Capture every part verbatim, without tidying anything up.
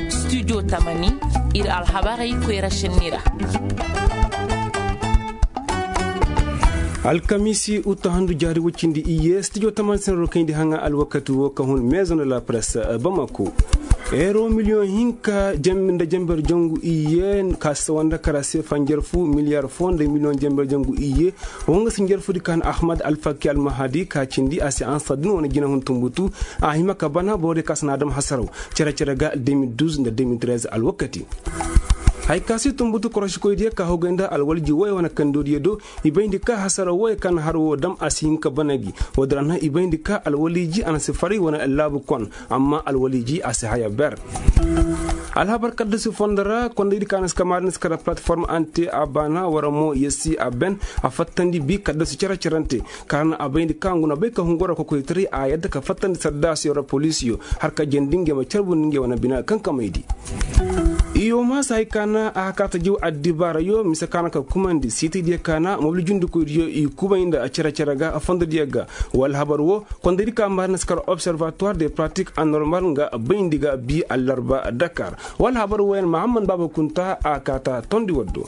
Studio tamani, ir alhabarey koyra šenni ra. Alkamiisi uta handu jaari woy cindi iyye studio tamani senero kayndi haŋa alwakati wo ka hun maison de la presse, bamako. Euro miliyoŋ hinka nda jenber jangu iyye ka si sawa nda kara seefa njarfu miliyar fo nda miliyoŋ jenber jangu iyye. Wo nga si njarfudi ka na ahmad alfaki almahadi ka cindi a se ansa din wane jinahun tumbutu. A hima ka bana borodiyo ka si na a dam hasaraw cere-cere ga deux mille douze nda deux mille treize alwakati. Haya ka se tumbutu korosikoydiyo ka hogay nda alwalji woy wane kandodiyo do. I bayndi ka hasaraw woy ka na har wo dam a si hin ka bana gi. Woodin ra na i bayndi ka alwaliji a na si faray wane laabu kon. Amma alwaliji a si haya ber. Alhabar kaddasi fondo ra kondaydi ka na si kamaari na si kara platform ante a baana wara mo yesi a ben. A fattandi bi kaddasi cere-cerante ka na a bayndi ka ngu na bay ka hungura kokoytaray a yadda ka fattandi saddaasiyo ra poliisiyo har ka jandi ngey ma carbundi ngey wane bina kankamaydi. Iyo ma si hay ka na a hakaata jaw addibaarayo mise ka na ka kumandi siitaydiyo ka na mobili jundikoydiyo i kubay nda cere-cere ga fondodiyo ga. Wala habar wo kondaydi ka maari na si kar observatoire de pratique anormal nga bayndi ga bi allarba dakar. Wala habar wo yaŋ mahammad baaba kunta a kaata tondi waddo.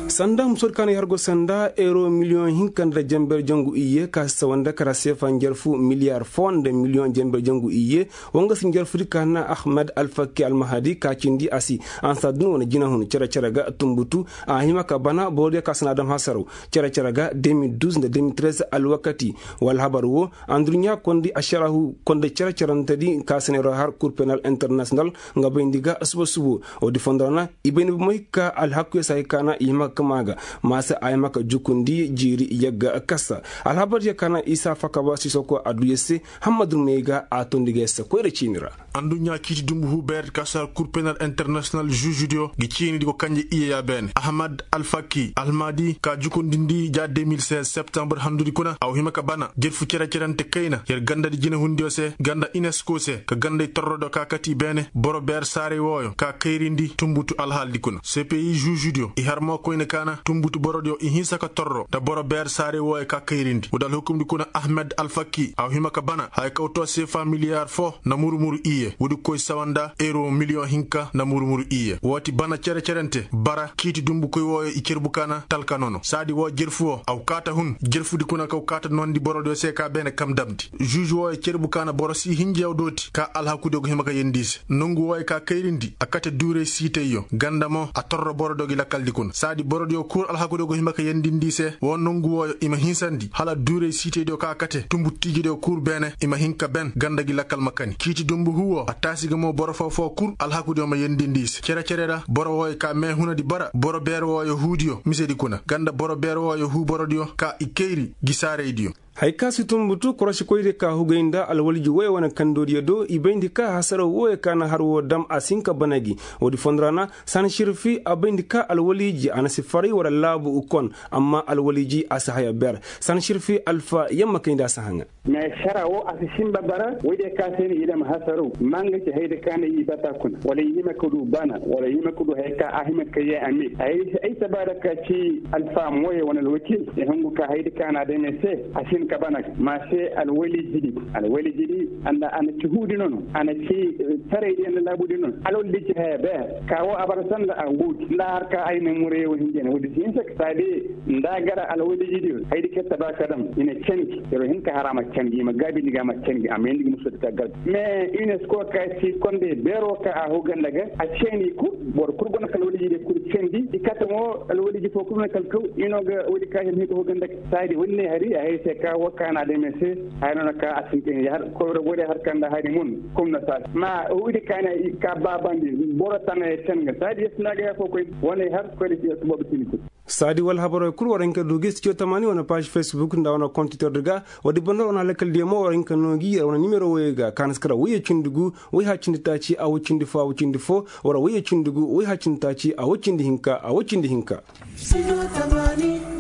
Sanda musoodi ka na i har go sanda euro miliyoŋ hinka nda jenber jangu iyye ka si sawa nda kara seefa njarfu miliyar fo nda miliyoŋ jenber jangu iyye. Wo nga si njarfudi ka na ahmed alfakki almahadi ka cindi a si ansa din wane jinahun cere-cere ga tumbutu. A hima ka bana borodiyo ka si na a dam hasaraw cere-cere ga deux mille douze nda deux mille treize alwakati. Wala habar wo anduɲɲa kondi ašarahu konda cere-cerantedi ka si na ir har kur penal international. Nga bayndi ga suba-subo. Woodi fondo ra na i bayndi bomo hikka alhakuyo si hay ka na i hima ka kama ga. Maasa a hima ka jukundi jiiri yagga kasa alhabaryo ka na isa fakaba sisoko adduyo se. Hammadu may ga a tondi ga yassa koyra ciini ra. Anduɲɲa ciiti dumbu huu beeredi ka si har kur penal international žužudiyo ngi ciinidi go kanje iyeya beene ahmad alfaki almadi ka jukundindi ja deux mille seize septembre handudi kuna a wa hima ka bana jerfu cere-cerante kayna yer gandadi jinehundiyo se ganda unesco se ka ganday torrodiyo ka kati beene boro beer saaray wooyo ka kayrindi tumbutu alhaaldi kuna cpi žužudiyo i har mo koyne ka na tumbutu borodiyo i hinsa ka torro nda boro beer saaray wooyo ka kayrindi woodi alhukumdi kuna ahmed alfaki a wa hima ka bana haya kaw to seefa miliyar fo nda muru-muru iyye woodi koy sawa nda euro miliyoŋ hinka nda muru-muru iyye woo ti bana cere-cerante bara ciiti dumbukoy wooyo i cerbu ka na talka nono saadi woo jerfu woo a wa kaata hun jerfudi kuna ka wa kaata noondi borodiyo se ka beene kam damndi žuž wooyo cerbu ka na boro sii hinjeyaw dooti ka alhakudiyo go hima ka yendi i se nongu wooyo ka kayrindi a kate duuray siitayyo ganda mo a torro borodiyo gi lakaldi kuna saadi borodiyo kul alhakudiyo go hima ka yendindi i se woo nongu wooyo i ma hinsandi hala duuray siitaydiyo ka kate tumbutu tiijediyo kul beene i ma hin ka ben ganda gi lakal ma kani ciiti dumbu huu woo a taasi ga mo boro foo-foo kul alhakudiyo ma yendindi i se cere-cere ra boro wooyo ka meehunadi bara boro beer wooyo huudiyo misedi kuna ganda boro beer wooyo huu borodiyo ka i kayri gi saaraydiyo. Hay ka si tumbutu korosikoydiyo ka hugay nda alwalji woy wane kandoodiyo do i bayndi ka hasaraw wooyo ka na har woo dam a si hin ka bana gi. Woodi fondo ra na sani širfi a bayndi ka alwaliji a na si faray wala laabu kon amma alwaliji a si haya ber. Sani širfi alfa yamma kayndi a si haŋa. Mais sara woo a si sinba bara woydiyo ka se ni i dam hasaraw ma nga ci hayda ka na i bata kuna wala i hima ka du bana wala i hima ka du haya ka a hima ka yee a me ay si ay si ba da ka ci alfa mooye wane alwakil i hungu ka hayda ka na dame se a si hin ka bana ga ma se alwaliji di alwaliji di a na ci huudi nono a na ci saraydi a na laabudi nono alwaliji haya beer ka woo a bara sanda a guudi nda har ka ay na murayey wo hinjey na woodi si hinsa ka saadi nda a gara alwaliji di haydi kay taba ka dam i na canji yer wo hin ka har a ma canji i ma gaabindi ga a ma canji a ma yeendi ga musoodi ka gar mais unesco ka ci kondey beeroo ka a huu ganda ga a ceeni kul boro kul go na kala waliji de kul cendi i kate mo alwaliji foo kul na kala kaw i no ga wadi ka hin hiko hoganda saadi wani ne hari a hay se ka waka na de men se hay no na ka a sinke har ko ro gode har kanda hari mun kum na sa ma wadi ka na ka babandi boro tana ya tanga saadi yes na ga ya ko koy wani har ko de ya tubo bitini kul. Saadi wala habaroo kul wara hinka du gi studio tamani wane page facebook nda wane compte twitter di ga. Wadi banda wane halakal diyo mo wara hinka noo gi wane nimero woyey ga ka na si kara woyey cindi gu woy ha cindi taaci a woy cindi fo a woy cindi fo wara woyey cindi gu woy ha cindi taaci a woy cindi hinka a woy cindi hinka.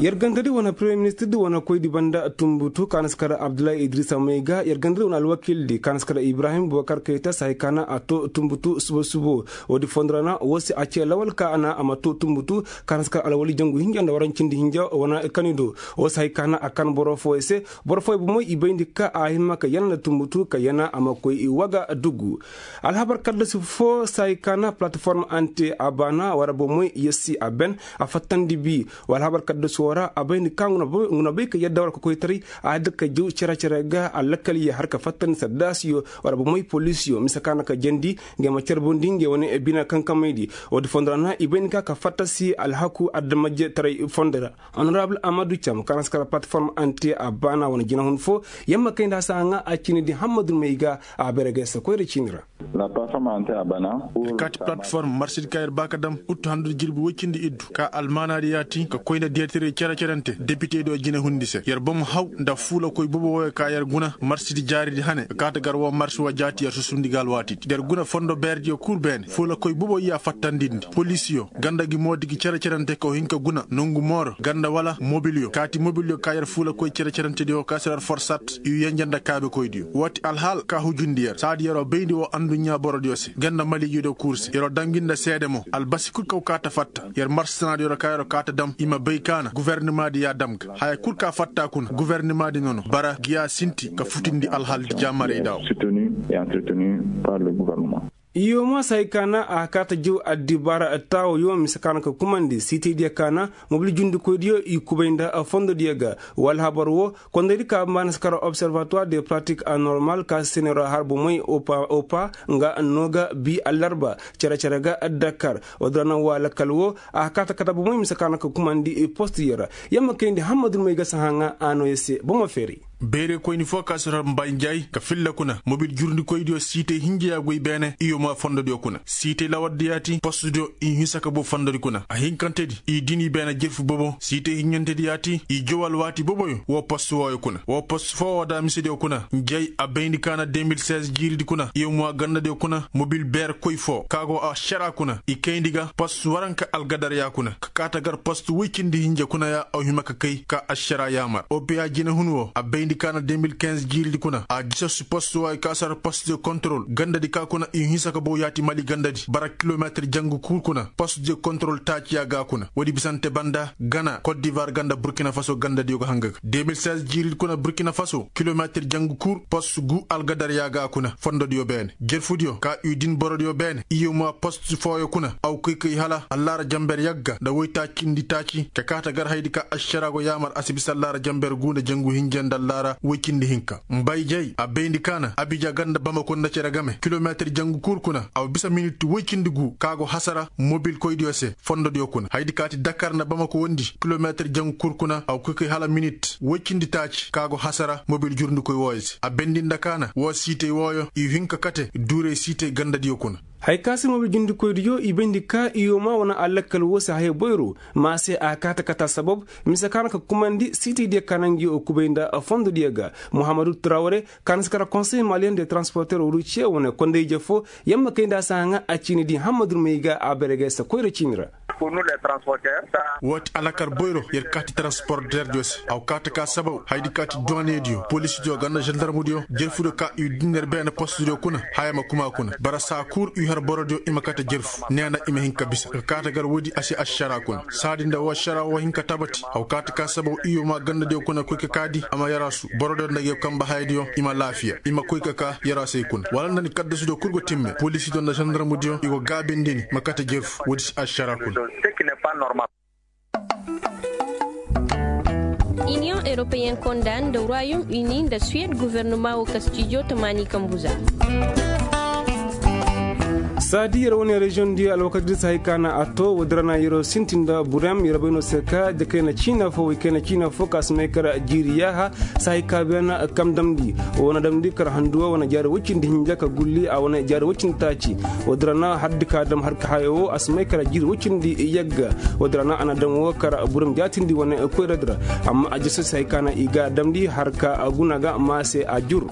Yer gandadi wane premier ministirdi wane koydi banda tumbutu ka na si kara abdullahi idrisa may ga yer gandadi wane alwakildi ka na si kara ibrahim bubakar kayta sahay ka na a to tumbutu subo subo. Wadi fondo ra na woo se a ce lawal ka a na a ma to tumbutu ka na si kara alwali jangu. Hinja nda warancindi hinja wane kani do. Wo si hay ka na a kan boro fooyo se. Boro fooyo bomoy i bayndi ka a hima ka yana nda tumbutu ka yana a ma koy i waga dugu. Alhabar kaddasi fo si hay ka na palataform ante a baana wara bomoy yassi a ben a fattandi bi. Wa alhabar kaddasi woo ra a bayndi ka ngu na bay ka yadda wara kokoytaray a yadda ka jaw cere-cere ga a lakkal ye har ka fattandi saddaasiyo wara bomoy polisiyo mise ka na ka jandi. Ngey ma carbundi ngey wane bina kankamaydi. Woodi fondo ra na i bay ni ka ka fattasi alhaku adamajetaray fondo ra. Honorable amadu cam ka na si kara pataform ante a baana wane jinahun fo. Yamma kayndi a si haŋa a ciini di hammadu may ga a bayra ga yasa koyra ciini ra. Kaati pataform marsidi ka yer ba ka dam uttu handu jirbi woy cindi iddu ka almaanaadi yaati ka koy nda deetire cere-cerente depitediyo jinehundi se yer bomo haw nda fuulakoy bobo wooyo ka yer guna marsidi jaaridi hane ka kaati gar woo marsi woo jaati yer susundi ga alwaatidi yer guna fondo beerediyo kul beene fuulakoy bobo iyya fattandindi polisiyo ganda gi moodi gi cere-cerente ka woo hin ka guna nongu mooro ganda wala mobiliyo kaati mobiliyo ka yer fuulakoy cere-cerentediyo ka si yer forsat iyu yenje nda kaabekoydiyo woo ti alhaal ka hujundi yer saadi yeroo bayndi woo anduɲɲaa borodiyo se ganda maliijudiyo kul se yeroo dam gi nda seede mo albasi kul ka woo kaa ta fatta yer marsi sanaadiyo ra ka yeroo kaa ta dam i ma bay ka na gofornimaadi ya dam ga haya kul ka fatta kuna gofornimaadi nono bara gi ya sinti ka futindi alhaaldi jaamaraydaa woo. Iyo ma si hay ka na a kaa ta jaw addibaara taawoyo mise ka na ka kumandi siitaydiyo ka na mobil jundikoydiyo i kubay nda fondodiyo ga wala habar woo kondaydi ka mbaana si kara observatoire de pratique anormal ka si senero har bomoy opa nga no ga bi allarba cere-cere ga dakar. Woodin ra na woo a lakkal woo a kaa ta kata bomoy mise ka na ka kumandi postiyo ra. Yamma kayndi hammadu may ga si haŋa a nooya se bomo feeray. Beerekoyni foo ka si har mbaay njaay ka filla kuna mobil jurndikoydiyo siitay hinja ya goy beene iyo ma fondodiyo kuna siitay lawardiyo yaati postudiyo i hinsa ka boo fondodi kuna a hinkantedi i din i beene jerfu bobo siitay hinjantedi yaati i jow alwaati boboyo woo postu wooyo kuna woo postu foo woo da misediyo kuna njaay a bayndi ka na deux mille seize jiiridi kuna iyo ma gandadiyo kuna mobil beerekoy foo ka go ašaraa kuna i kayndi ga postu waranka algadaryaa kuna ka kaata gar postu woy cindi hinja kuna ya aw hima ka kay ka ašaraa yaamar opiya jinehun woo a bayndi ka na deux mille quinze jiiridi kuna a jisasu postu waayo ka sar postu de kontrol gandadi ka kuna i hinsa ka bow yaati mali gandadi bara kilometir jangu kul kuna postu de kontrol taaciya ga kuna woodi bisante banda gana kot divar ganda burkina faso gandadiyo ga hanga ga deux mille seize jiiridi kuna burkina faso kilometir jangu kul postu gu algadaryaa ga kuna fondodiyo beene jerfudiyo ka i din borodiyo beene iyo ma postu fooyo kuna aw koy kay hala allaara jamber yagga nda woy taacindi taaci ka kaata gar haydi ka ašaraa go yaamar a si bisa allaara jamber guu nda jangu hinja nda allaara woy cindi hinka mbayjay a bayndi ka na abija ganda bamako nda cere game kilometir jangu kul kuna aw bisa minit woy cindi guu ka go hasara mobilkoydiyo se fondodiyo kuna haydi kaati dakar nda bamako wondi kilometir jangu kul kuna aw koy kay hala minit woy cindi taaci ka go hasara mobil jurndikoy wooyo se a bendi nda ka na woo siitay wooyo i hin ka kate duuray siitay gandadiyo kuna. Haya ka se mobil jurndikoydiyo i bayndi ka iyo ma wane a lakkal woo se haya boyro ma se a kaata kata sabab mise ka na ka kumandi siitaydiyo ka na ngi woo kubay nda fondodiyo ga muhammadu trawre ka na si kara konsey maliyen de transporter ruciye wane konday je foo yamma kayndi a si haŋa a ciini di hammadu may ga a bayra ga yasa koyra ciini ra. Woo ti alakar boyro yer kaati transporterdiyo se aw kaati ka sabaw haydi kaati duwanediyo polisidiyo ganda zandarmudiyo jerfudiyo ka i din yer beene postudiyo kuna haya ma kuma kuna bara saa kul i har borodiyo i ma kate jerfu neena i ma hin ka bisa ka kaati gar woodi a si ašaraa kuna saadi nda woo ašaraa woo hin ka tabati aw kaati ka sabaw iyo ma gandadiyo kuna koy ka kaadi a ma yaraasu borodiyo nda ngi kamba hayadiyo i ma laafiya i ma koy ka kaa yaraasey kuna wala nda ni kaddasudiyo kul go timme polisidiyo nda zandarmudiyo i go gaabindi ni ma kate jerfu woodi si ašaraa kuna. Iniyoŋ europeyen konda nda royaume uni nda suwed guvernuma wo kastijo tamaani kambuza. Saadi yer wane reziyoŋ di alwakati di si hay ka na a to woodi ra na yeroo sinti nda burem yer bay no se ka de kayna ciina fo way kayna ciina fo ka si may kara jiiri yaaha si hay ka beena kam damndi. Wo na damndi kara handu wo wane jaari woy cindi hinja ka gulli a wane jaari woy cindi taaci. Woodi ra na haddi ka dam har ka haya wo a si may kara jiiri woy cindi yagga. Woodi ra na a na dam wo kara burem jaatindi wane koyradi ra. Amma a jese si hay ka na i ga damndi har ka guna ga maa se a jur.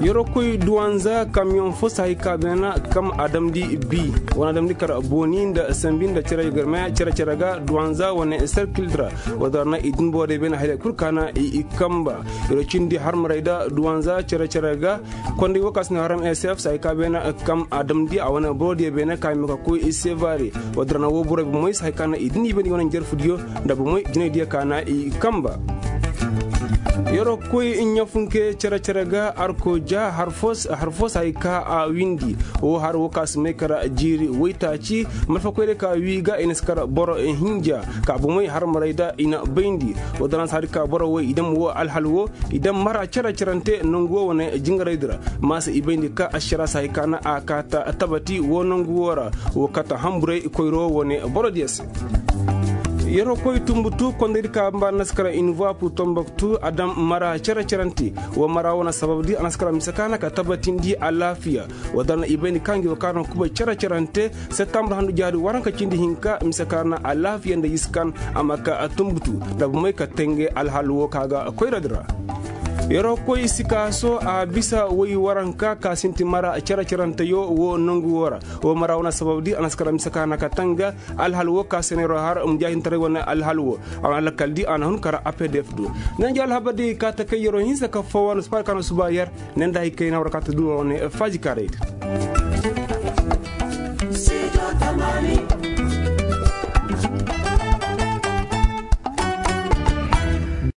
Yeroo koy duwanza kamiyoŋ fo si hay ka beena kam a damndi bii wane a damndi kar booni nda sambi nda cere garmaya cere-cere ga duwanza wane serkil dira. Wala dara na i din boro day beena haylay kul ka na i kamba. Yeroo cindi harmaray da duwanza cere-cere ga konday wo ka si ne haram sf si hay ka beena kam a damndi a wane boro diya beena ka i ma ka koy i sevare. Wala dara na wo boro bomey si hay ka na i din i beena i wane jarfu diyo nda bomey jinay diya ka na i kamba. Yeroo koy ɲafunke cere-cere ga arko ja har fo si hay ka a windi. Wo har wo ka si may kara jiiri woytaaci malfakoyre ka wii ga i na si kara boro hinja ka bomey harmaray da i na bayndi. Wala dara na si hari ka boro woy i dam wo alhal wo i dam mara cere-cerante nangu wo wane jingaray dira. Maasa i bayndi ka ašara si hay ka na a kaata tabati wo nangu wo ra. Wo kaata hamburay koyro wane boro diya se. Yeroo koy tumbutu kondaydi ka mba naskara invoipu tomboktu a dam mara cere-cerante. Wo mara wane sababdi a naskara mise ka na ka tabatindi alaafiya. Wala dara na i bayndi ka ngi wo ka na kubay cere-cerante. Septambur handu jaari waranka cindi hinka mise ka na alaafiya nda yiskan a ma ka tumbutu nda bomey ka tenge alhal wo ka ga koyradi ra. Yeroo koy sikaaso a bisa woy waranka ka sinti mara cere-ceranteyo wo nangu wo ra. Wo mara wane sababdi a naskara mise ka na ka tanga alhal wo ka se na yeroo har mujaahintaray wane alhal wo. A wane lakkal di a na hun kara apdf do. Nanja alhabar di ka ta kay yeroo hinsa ka foo wane suba yer ne nda hay kay na war ka ta du wane faaji kaaray di.